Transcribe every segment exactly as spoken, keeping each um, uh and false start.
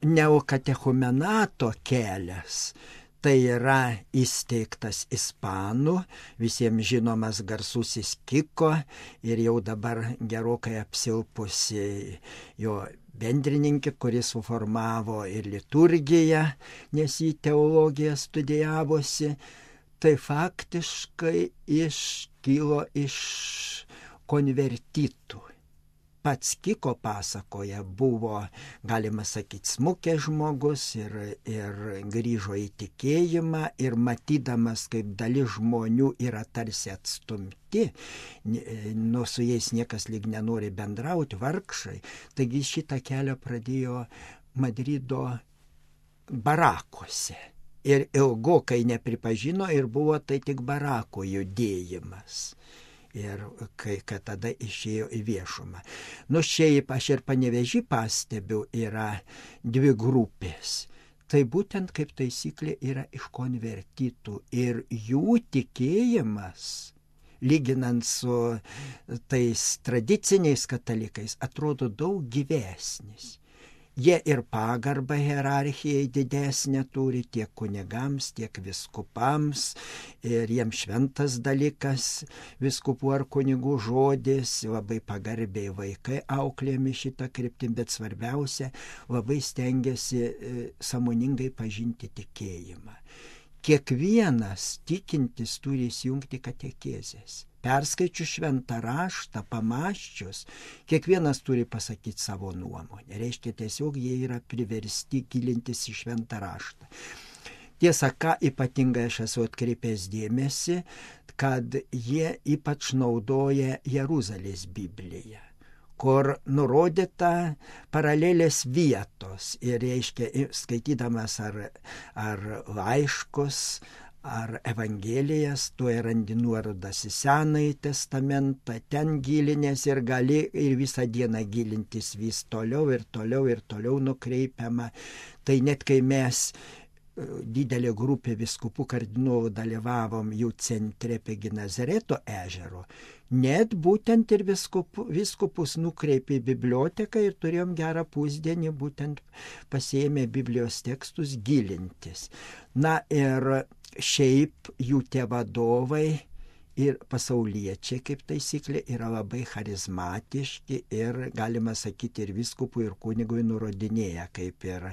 neokatechumenato kelias tai yra įsteigtas ispanų, visiems žinomas garsusis Kiko ir jau dabar gerokai apsilpusi jo bendrininkė, kuris suformavo ir liturgiją, nes jį teologiją studijavosi, tai faktiškai iškilo iš konvertitų. Pats Kiko pasakoja, buvo, galima sakyti, smukęs žmogus ir, ir grįžo į tikėjimą ir matydamas, kaip dalis žmonių yra tarsi atstumti, nu su jais niekas lyg nenori bendrauti, vargšai, taigi šitą kelią pradėjo Madrido barakuose. Ir ilgokai nepripažino ir buvo tai tik barako judėjimas. Ir kai kad tada išėjo į viešumą. Nu šiaip aš ir Panevėžy pastebiu, yra dvi grupės. Tai būtent kaip taisyklė yra iš konvertitų ir jų tikėjimas, lyginant su tais tradiciniais katalikais, atrodo daug gyvesnis. Jie ir pagarbą hierarchijai didesnę turi tiek kunigams, tiek viskupams ir jiems šventas dalykas viskupų ar kunigų žodis, labai pagarbiai vaikai auklėjami šitą kryptim, bet svarbiausia, labai stengiasi sąmoningai pažinti tikėjimą. Kiekvienas tikintis turi įsijungti katekezės. Perskaičius šventą raštą, pamąsčius, kiekvienas turi pasakyti savo nuomonę. Reiškia, tiesiog jie yra priversti gilintis į šventą raštą. Tiesa, ką ypatingai aš esu atkreipęs dėmesį, kad jie ypač naudoja Jeruzalės Bibliją, kur nurodyta paralelės vietos ir, reiškia, skaitydamas ar, ar laiškus, ar evangelijas, tu randi nuorodas į Senąjį testamentą, ten gilinės ir gali ir visą dieną gilintis vis toliau ir toliau ir toliau nukreipiama. Tai net kai mes didelė grupė viskupų kardinolų dalyvavom jų centre prie Genazareto ežero, net būtent ir viskupu, viskupus nukreipė į biblioteką ir turėjom gerą pusdienį būtent pasiėmę Biblijos tekstus gilintis. Na ir šiaip jų tie vadovai ir pasauliečiai, kaip taisyklė, yra labai charizmatiški ir, galima sakyti, ir viskupui, ir kunigui nurodinėja, kaip ir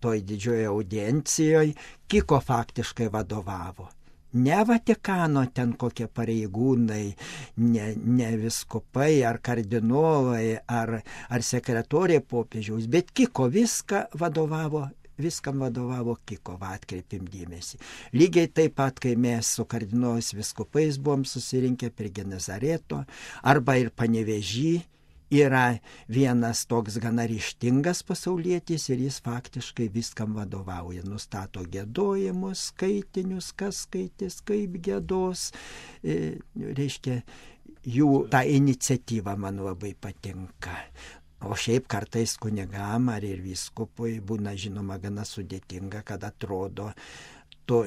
toj didžioje audiencijoje. Kiko faktiškai vadovavo. Ne Vatikano ten kokie pareigūnai, ne, ne viskupai ar kardinolai, ar, ar sekretorė popiežiaus, bet Kiko viską vadovavo. Viskam vadovavo Kiko, va, atkreipim dėmesį. Lygiai taip pat, kai mes su kardinolais viskupais buvom susirinkę prie Genazareto, arba ir Panevėžy, yra vienas toks gana ryžtingas pasaulietis ir jis faktiškai viskam vadovauja. Nustato giedojimus, skaitinius, kas skaitys, kaip giedos. E, reiškia, jų ta iniciatyva man labai patinka. O šiaip kartais kunigam ar ir vyskupui būna, žinoma, gana sudėtinga, kad atrodo, tu,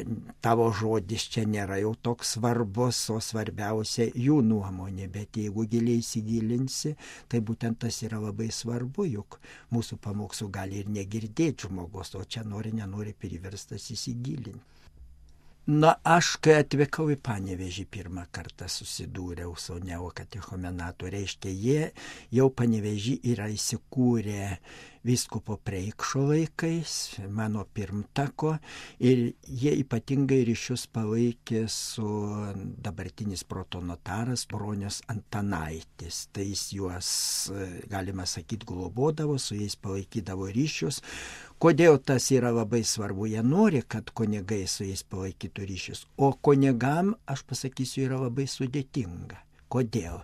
tavo žodis čia nėra jau toks svarbus, o svarbiausia jų nuomonė. Bet jeigu giliai įsigilinsi, tai būtent tas yra labai svarbu, juk mūsų pamokslų gali ir negirdėti žmogus, o čia nori, nenori priverstas įsigilinti. Na, aš, kai atvykau į Panevėžį, pirmą kartą susidūriau su neokatechumenatu. Reiškia, jie jau Panevėžį yra įsikūrę vyskupo Preikšo laikais, mano pirmtako, ir jie ypatingai ryšius palaikė su dabartinis protonotaras Bronius Antanaitis. Tai jis juos, galima sakyti, globodavo, su jais palaikydavo ryšius. Kodėl tas yra labai svarbu? Jie nori, kad kunigai su jais palaikytų ryšius. O kunigam, aš pasakysiu, yra labai sudėtinga. Kodėl?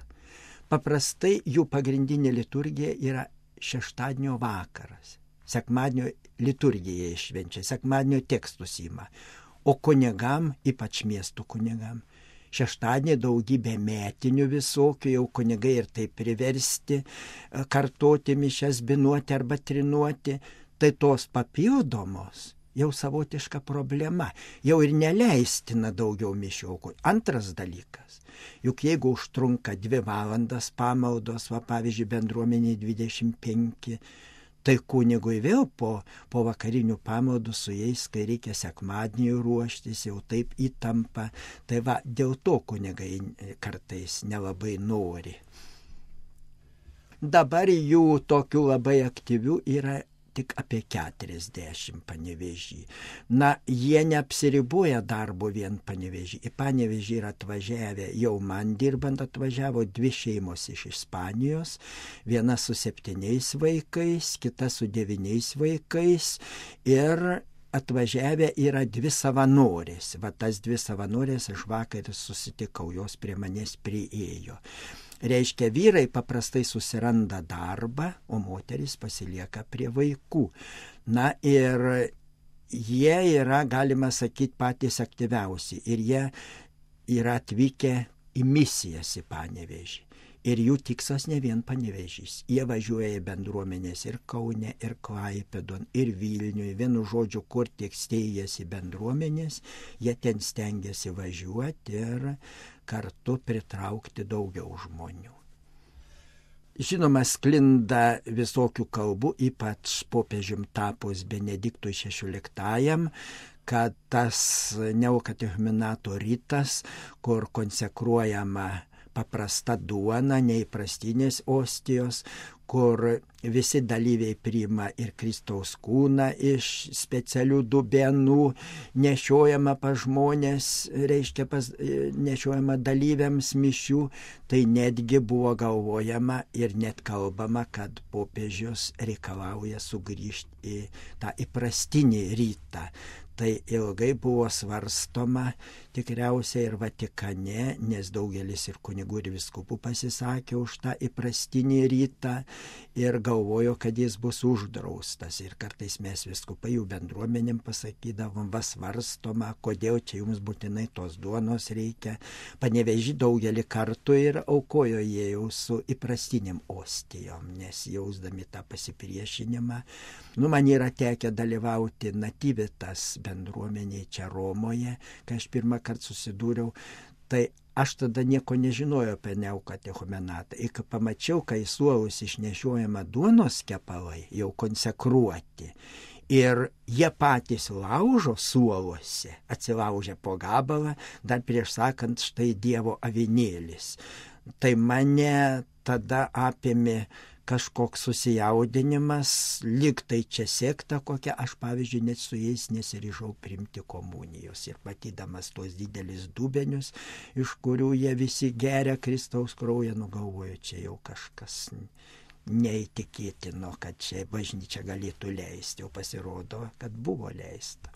Paprastai jų pagrindinė liturgija yra šeštadienio vakaras. Sekmadienio liturgija išvenčia, sekmadienio tekstus ima. O kunigam, ypač miestų kunigam, šeštadienį daugybė metinių visokių, jau kunigai ir taip priversti kartoti mišias, binuoti arba trinuoti. Tai tos papildomos jau savotiška problema, jau ir neleistina daugiau mišių aukoti. Antras dalykas, juk jeigu užtrunka dvi valandas pamaldos, va pavyzdžiui bendruomeniai dvidešimt penki, Tai kunigui vėl po, po vakarinių pamaldų su jais, kai reikia sekmadienį ruoštis, jau taip įtampa. Tai va, dėl to kunigai kartais nelabai nori. Dabar jų tokių labai aktyvių yra tik apie keturiasdešimt Panevėžy. Na, jie neapsiriboja darbo vien Panevėžy. Į Panevėžį yra atvažiavę, jau man dirbant atvažiavo dvi šeimos iš Ispanijos, viena su septyniais vaikais, kita su devyniais vaikais ir atvažiavę yra dvi savanorės. Va tas dvi savanorės aš vakar susitikau, jos prie manęs priėjo. Reiškia, vyrai paprastai susiranda darbą, o moteris pasilieka prie vaikų. Na ir jie yra, galima sakyti, patys aktyviausi. Ir jie yra atvykę į misijas į Panevėžį. Ir jų tikslas ne vien Panevėžys. Jie važiuoja į bendruomenės ir Kaune, ir Klaipėdon, ir Vilniuje. Vienu žodžiu, kur tiek steigėsi bendruomenės, jie ten stengiasi važiuoti ir kartu pritraukti daugiau žmonių. Žinoma, sklinda visokių kalbų, ypač popiežium tapus Benediktui šešioliktajam, kad tas neokatechumenato rytas, kur konsekruojama paprasta duona, neįprastinės ostijos, kur visi dalyviai priima ir Kristaus kūną iš specialių dubenų, nešiojama pas žmonės, reiškia pas, nešiojama dalyviams mišių, tai netgi buvo galvojama ir net kalbama, kad popiežius reikalauja sugrįžti į tą įprastinį rytą. Tai ilgai buvo svarstoma tikriausiai ir Vatikane, nes daugelis ir kunigų ir vyskupų pasisakė už tą įprastinį rytą ir galvojo, kad jis bus uždraustas. Ir kartais mes vyskupai jų bendruomenėm pasakydavom, va svarstoma, kodėl čia jums būtinai tos duonos reikia. Panevėžį daugelį kartų ir aukojo jie jau su įprastiniam ostijom, nes jausdami tą pasipriešinimą. Nu, man yra tekę dalyvauti Nativitas bendruomeniai čia Romoje, kai aš pirmą kartą susidūriau, tai aš tada nieko nežinojau apie neokatechumenatą. Ir kai pamačiau, kai suolus išnešiojama duonos kepalai, jau konsekruoti, ir jie patys laužo suoluose, atsilaužia po gabalą, dar prieš sakant, štai Dievo avinėlis. Tai mane tada apėmė kažkoks susijaudinimas, lyg tai čia sekta kokia, aš pavyzdžiui net su jais nesiryžau priimti komunijos ir matydamas tuos didelius dubenius, iš kurių jie visi geria Kristaus kraują, nugalvoju, čia jau kažkas neįtikėtino, kad čia bažnyčia galėtų leisti, o pasirodo, kad buvo leista.